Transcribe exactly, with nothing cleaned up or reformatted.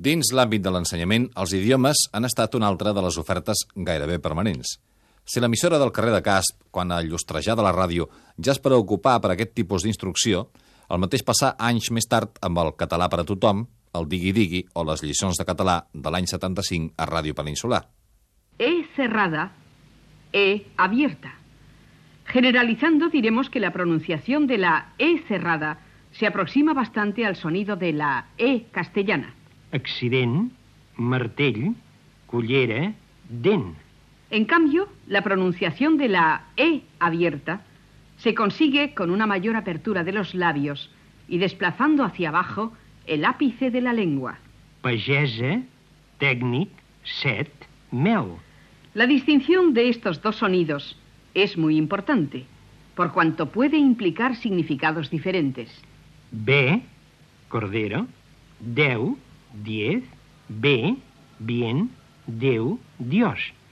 Dins l'àmbit de l'ensenyament, els idiomes han estat una altra de les ofertes gairebé permanents. Si l'emissora del carrer de Casp, quan a llustrejar de la ràdio, ja es preocupà per aquest tipus d'instrucció, el mateix passà anys més tard amb el català per a tothom, el digui-digui o les lliçons de català de l'any setanta-cinc a Ràdio Peninsular. E cerrada, E abierta. Generalizando diremos que la pronunciación de la E cerrada se aproxima bastante al sonido de la E castellana. Accident, martell, cullera, dent. En cambio, la pronunciación de la E abierta se consigue con una mayor apertura de los labios y desplazando hacia abajo el ápice de la lengua. Pagesa, tècnic, set, mel. La distinción de estos dos sonidos es muy importante, por cuanto puede implicar significados diferentes. B, cordero, deu, diez, B, bien, Déu, Dios.